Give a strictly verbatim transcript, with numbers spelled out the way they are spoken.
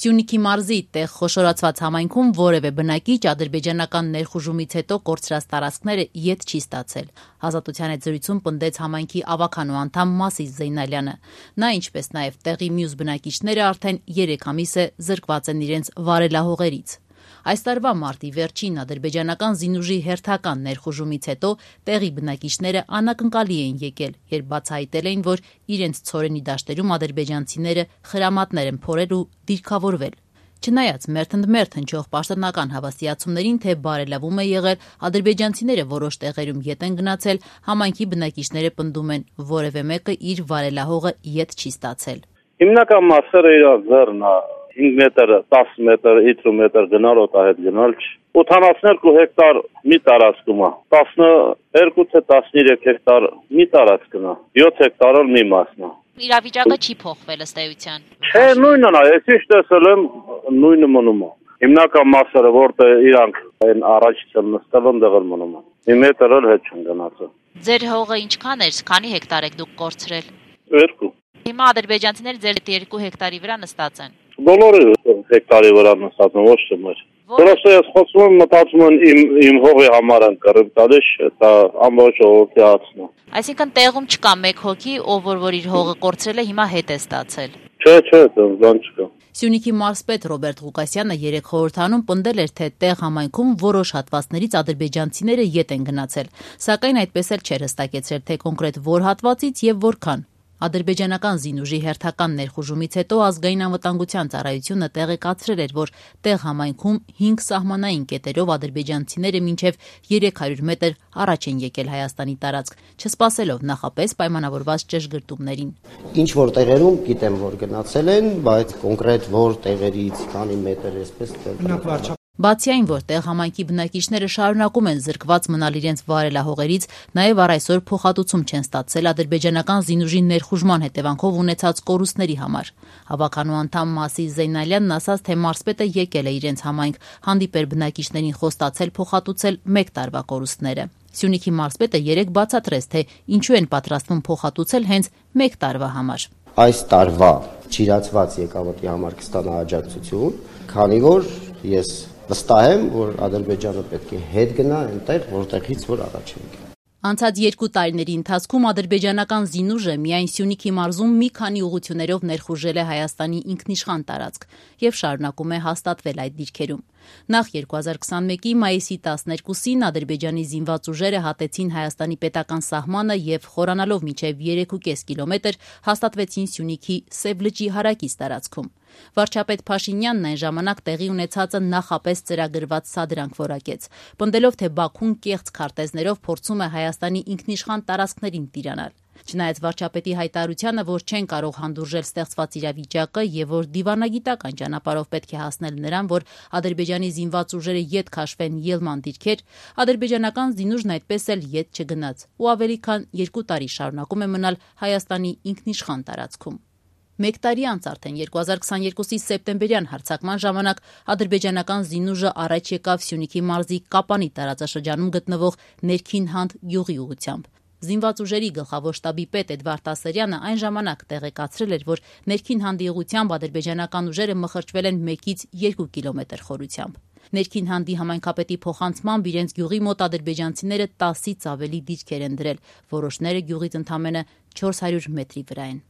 Սյունիքի մարզի տեղ խոշորացված համայնքում որևէ բնակիչ ադրբեջանական ներխուժումից հետո կորցրած տարածքները ետ չի ստացել։ Ազատության հետ զրույցում պնդեց համայնքի ավականու անդամ Մասիս Զեյնալյանը։ Նա, ինչպես նաև տեղի մյուս բնակիչները արդեն երեք ամիս է զրկված են իրենց վարելահողերից։ Այս տարվա մարտի վերջին ադրբեջանական զինուժի հերթական ներխուժումից հետո տեղի բնակիչները անակնկալի էին եկել, երբ բացահայտել էին, որ իրենց ցորենի դաշտերում ադրբեջանցիները խրամատներ են փորել ու դիրքավորվել։ Չնայած մերթընդմերթ հնչող պաշտոնական հավաստիացումներին, թե բարելավում է եղել, ադրբեջանցիները որոշ տեղերում ետ են գնացել, համայնքի բնակիչները պնդում են, որևէ մեկը իր վարելահողը ետ չի ստացել։ Հիմնական մասերը իր ձեռն է, հինգ մետր, տասը մետր, հինգ մետր գնալ օտա հետ գնալ չի։ ութանասունյոթ հեկտար մի տարածքում է, տասներկու թե տասներեք հեկտար մի տարածքն է, յոթ հեկտարը մի մասն է։ Իրավիճակը չի փոխվել ըստ էության։ Չէ, նույնն է, ես ինչ տեսել եմ, նույնը մնում է։ Հիմնական մասերը, որտեղ իրանք այն առաջից են նստել, ընդեղ էլ մնում է։ Մի մետր էլ հետ չեն գնացել։ Ձեր հողը ինչքան էր, քանի հեկտար եք դուք կորցրել։ Երկու։ Հիմա ադրբեջանցիները ձեր երկու հեկտարի վրա նստած են։ Բոլորը հեկտարի վրա նստած են, ոչ թե մեր։ Որովհետև ես խոսում եմ, մտածում եմ իմ իմ հողի համար են կռիվ տալիս, դա ամբողջ ժողովրդի հացն է։ Այսինքն տեղում չկա մեկ հոգի, ով որ որ իր հողը կորցրել է, հիմա հետ է ստացել։ Չէ, չէ, դրան չկա։ Սյունիքի մարզպետ Ռոբերտ Ղուկասյանը երեք խորհրդանում պնդել էր, թե տեղ համայնքում որոշ հատվածներից ադրբեջանցիները ետ են գնացել, սակայն այդպես էլ չէր հստակեցրել, թե կոնկրետ որ հատվածից եւ որքան։ Ադրբեջանական զինուժի հերթական ներխուժումից հետո ազգային անվտանգության ծառայությունը տեղեկացրել էր, որ տեղ համայնքում հինգ սահմանային կետերով ադրբեջանցիները մինչև երեք հարյուր մետր առաջ են եկել Հայաստանի տարածք, չսպասելով նախապես պայմանավորված ճշգրտումներին։ Ինչ որ տեղերում գիտեմ, որ գնացել են, բայց կոնկրետ որ տեղերից քանի մետր էսպես Բացի այն, որ տեղ համայնքի բնակիչները շարունակում են զրկված մնալ իրենց վարելահողերից, նաև առ այսօր փոխհատուցում չեն ստացել ադրբեջանական զինուժի ներխուժման հետևանքով ունեցած կորուստների համար։ Հավաքանու անդամ Մասիս Զեյնալյանն ասաց, թե մարզպետը եկել է իրենց համայնք, հանդիպել բնակիչներին խոստացել փոխհատուցել մեկ տարվա կորուստները։ Սյունիքի մարզպետը երեք բացատրեց, թե ինչու են պատրաստվում փոխհատուցել հենց մեկ տարվա համար։ Այս տարվա ճիրացված եկամտի համար կստանա աջակցություն, քանի որ ես վստահ եմ, որ Ադրբեջանը պետք է հետ գնա այնտեղ, որտեղից որ առաջ է եկել։ Անցած երկու տարիների ընթացքում ադրբեջանական զինուժը միայն Սյունիքի մարզում մի քանի ուղղություններով ներխուժել է Հայաստանի ինքնիշխան տարածք եւ շարունակում է հաստատվել այդ դիրքերում։ Նախ երկու հազար քսանմեկի մայիսի տասներկուսին Ադրբեջանի զինված ուժերը հատեցին Հայաստանի պետական սահմանը եւ խորանալով մինչեւ երեք ու կես կիլոմետր հաստատվեցին Սյունիքի Սև լճի հարակից տարածքում։ Վարչապետ Փաշինյանն այն ժամանակ տեղի ունեցածը նախապես ծրագրված սադրանք որակեց, պնդելով, թե Բաքուն կեղծ քարտեզներով փորձում է Հայաստանի ինքնիշխան տարածքներին տիրանալ։ Չնայած վարչապետի հայտարարությանը, որ չեն կարող հանդուրժել ստեղծված իրավիճակը եւ որ դիվանագիտական ճանապարհով պետք է հասնել նրան, որ Ադրբեջանի զինված ուժերը ետ քաշվեն ելման դիրքեր, ադրբեջանական զինուժն այդպես էլ ետ չգնաց ու ավելի քան երկու տարի շարունակում է մնալ Հայաստանի ինքնիշխան տարածքում։ Մեկ տարի անց արդեն երկու հազար քսաներկուսի սեպտեմբերյան հարձակման ժամանակ ադրբեջանական զինուժը առաջ եկավ Սյունիքի մարզի Կապանի տարածաշրջանում գտնվող Ներքին Հանդ գյուղի ուղղությամբ։ Զինված ուժերի գլխավոր շտաբի պետ Էդվարդ Ասերյանը այն ժամանակ տեղեկացրել էր, որ Ներքին Հանդի ուղղությամբ ադրբեջանական ուժերը մխրճվել են մեկից երկու կիլոմետր խորությամբ։ Ներքին Հանդի համայնքապետի փոխանցմամբ իրենց գյուղի մոտ ադրբեջանցիները տասից ավելի դիրքեր են դրել, որոշները գյուղից ընդամենը չորս հարյուր մետրի վրա են։